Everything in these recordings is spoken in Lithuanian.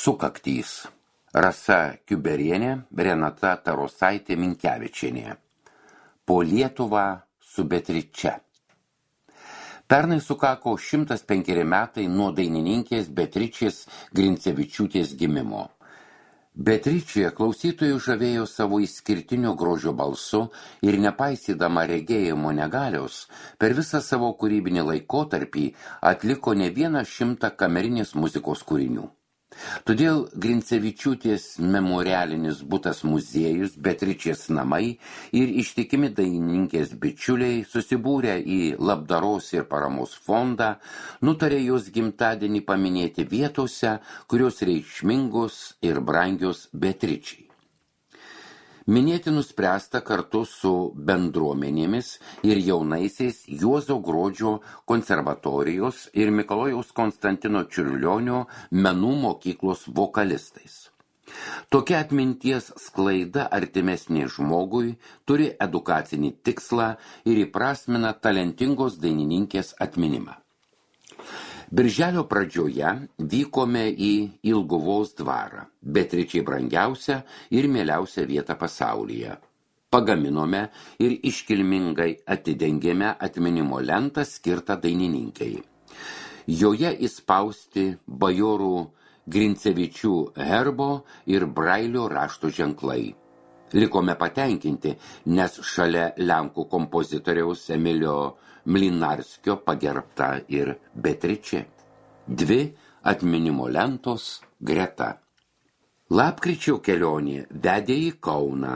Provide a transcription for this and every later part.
Sukaktys. Rasa Kiuberienė, Renata Tarosaitė Minkevičienė. Po Lietuvą su Beatriče. Pernai sukako 105 metai nuo dainininkės Beatričės Grincevičiūtės gimimo. Beatričė klausytojų žavėjo savo išskirtinio grožio balsu ir nepaisydama regėjimo negalios, per visą savo kūrybinį laikotarpį atliko ne 100 kamerinės muzikos kūrinių. Todėl Grincevičiūtės memorialinis butas muziejus, Beatričės namai ir ištikimi dainininkės bičiuliai susibūrę į labdaros ir paramos fondą nutarė jos gimtadienį paminėti vietose, kurios reikšmingos ir brangios Beatričei. Minėti nuspręsta kartu su bendruomenėmis ir jaunaisiais Juozo Gruodžio konservatorijos ir Mikalojaus Konstantino Čiurlionio menų mokyklos vokalistais. Tokia atminties sklaida artimesnė žmogui turi edukacinį tikslą ir įprasmina talentingos dainininkės atminimą. Birželio pradžioje vykome į Ilguvos dvarą, Beatričei brangiausią ir mieliausią vietą pasaulyje. Pagaminome ir iškilmingai atidengėme atminimo lentą skirtą dainininkai. Joje įspausti bajorų Grincevičių herbo ir Brailio rašto ženklai. Likome patenkinti, nes šalia lenkų kompozitoriaus Emilio Mlinarskio pagerbta ir Beatričė. 2 atminimo lentos greta. Lapkričio kelionė vedė į Kauną.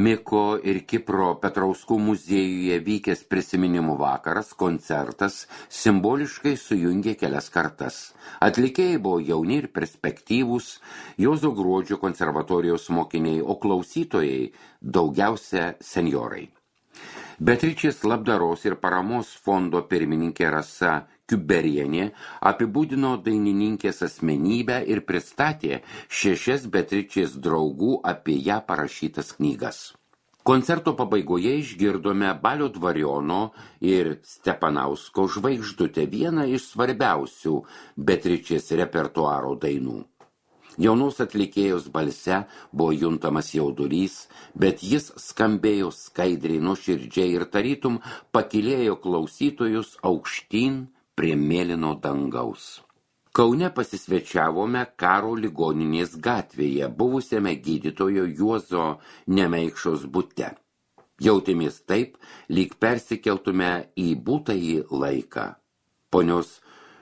Miko ir Kipro Petrauskų muziejuje vykęs prisiminimų vakaras, koncertas simboliškai sujungė kelias kartas. Atlikėjai buvo jauni ir perspektyvūs, Juozo Gruodžio konservatorijos mokiniai, o klausytojai daugiausia senjorai. Beatričės labdaros ir paramos fondo pirmininkė Rasa Kiuberienė apibūdino dainininkės asmenybę ir pristatė 6 Beatričės draugų apie ją parašytas knygas. Koncerto pabaigoje išgirdome Balio Dvariono ir Stepanausko žvaigždutę, vieną iš svarbiausių Beatričės repertuaro dainų. Jaunos atlikėjos balse buvo juntamas jaudulys, bet jis skambėjo skaidriai, nuoširdžiai ir tarytum pakilėjo klausytojus aukštyn prie mėlyno dangaus. Kaune pasisvečiavome Karo ligoninės gatvėje, buvusiame gydytojo Juozo Nemeikšos bute. Jautėmės taip, lyg persikeltume į būtąjį laiką. Ponios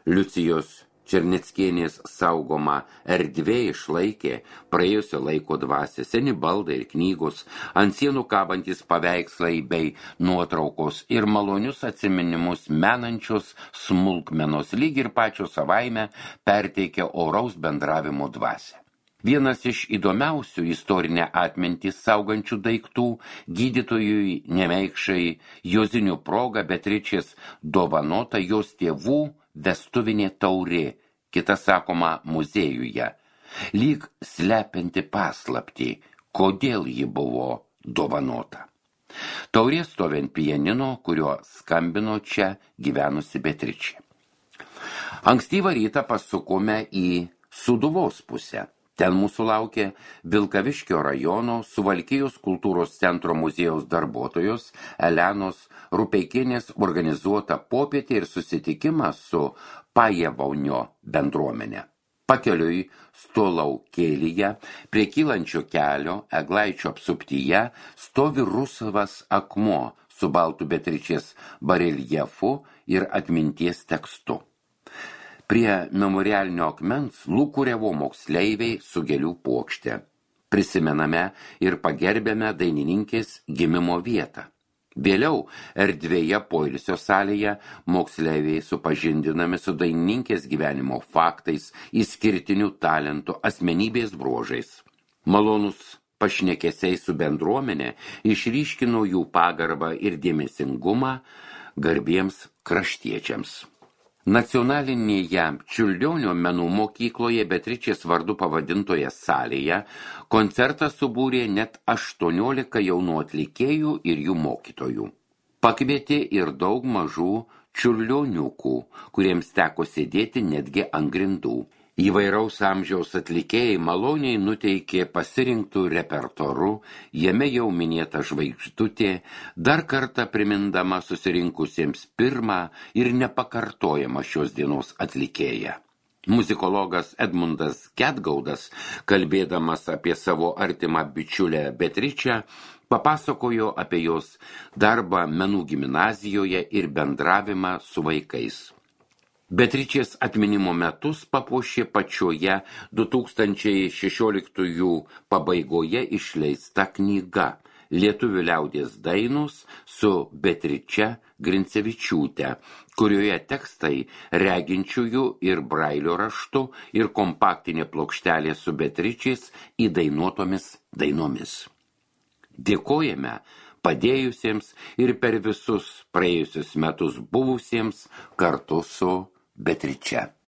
Liucijos Černeckienės saugoma erdvė išlaikė praėjusio laiko dvasią, seni baldai ir knygos, ant sienų kabantys paveikslai bei nuotraukos ir malonius atsiminimus menančios smulkmenos, lyg ir pačio savaime perteikia oraus bendravimo dvasią. Vienas iš įdomiausių istorinę atmintį saugančių daiktų gydytojui Nemeikšai Jozinių proga Beatričės dovanota jos tėvų vestuvinė taurė, kita sakoma muziejuje, lyg slepianti paslaptį, kodėl ji buvo dovanota. Taurė stovi ant pianino, kuriuo skambino čia gyvenusi Beatričė. Ankstyvą rytą pasukome į Sūduvos pusę. Ten mūsų laukė Vilkaviškio rajono Suvalkijos kultūros centro muziejaus darbuotojos Elenos Rupeikienės organizuota popietė ir susitikimas su Pajevaunio bendruomenė. Pakeliui Stolaukėlyje, prie kylančio kelio, Eglaičio apsuptyje, stovi rusvas akmuo su baltu Beatričės bareljefu ir atminties tekstu. Prie memorialinio akmens lūkuriavo moksleiviai su gėlių puokšte. Prisimename ir pagerbėme dainininkės gimimo vietą. Vėliau erdvėje poilsio salėje moksleiviai supažindinami su dainininkės gyvenimo faktais, išskirtinių talentų, asmenybės bruožais. Malonus pašnekesiai su bendruomenė išryškino jų pagarbą ir dėmesingumą garbiems kraštiečiams. Nacionalinėje Čiurlionio menų mokykloje Beatričės vardu pavadintoje salėje koncertą subūrė net 18 jaunų atlikėjų ir jų mokytojų. Pakvietė ir daug mažų čiurlioniukų, kuriems teko sėdėti netgi ant grindų. Įvairaus amžiaus atlikėjai maloniai nuteikė pasirinktų repertoru, jame jau minėta žvaigždutė, dar kartą primindama susirinkusiems pirmą ir nepakartojamą šios dienos atlikėją. Muzikologas Edmundas Gedgaudas, kalbėdamas apie savo artimą bičiulę Beatričę, papasakojo apie jos darbą menų gimnazijoje ir bendravimą su vaikais. Beatričės atminimo metus papuošė pačioje 2016 pabaigoje išleista knyga Lietuvių liaudies dainos su Beatriče Grincevičiūte, kurioje tekstai reginčiųjų ir brailio raštu ir kompaktinė plokštelė su Beatričės įdainuotomis dainomis. Dėkojame padėjusiems ir per visus praėjusius metus buvusiems kartu su Beatriče.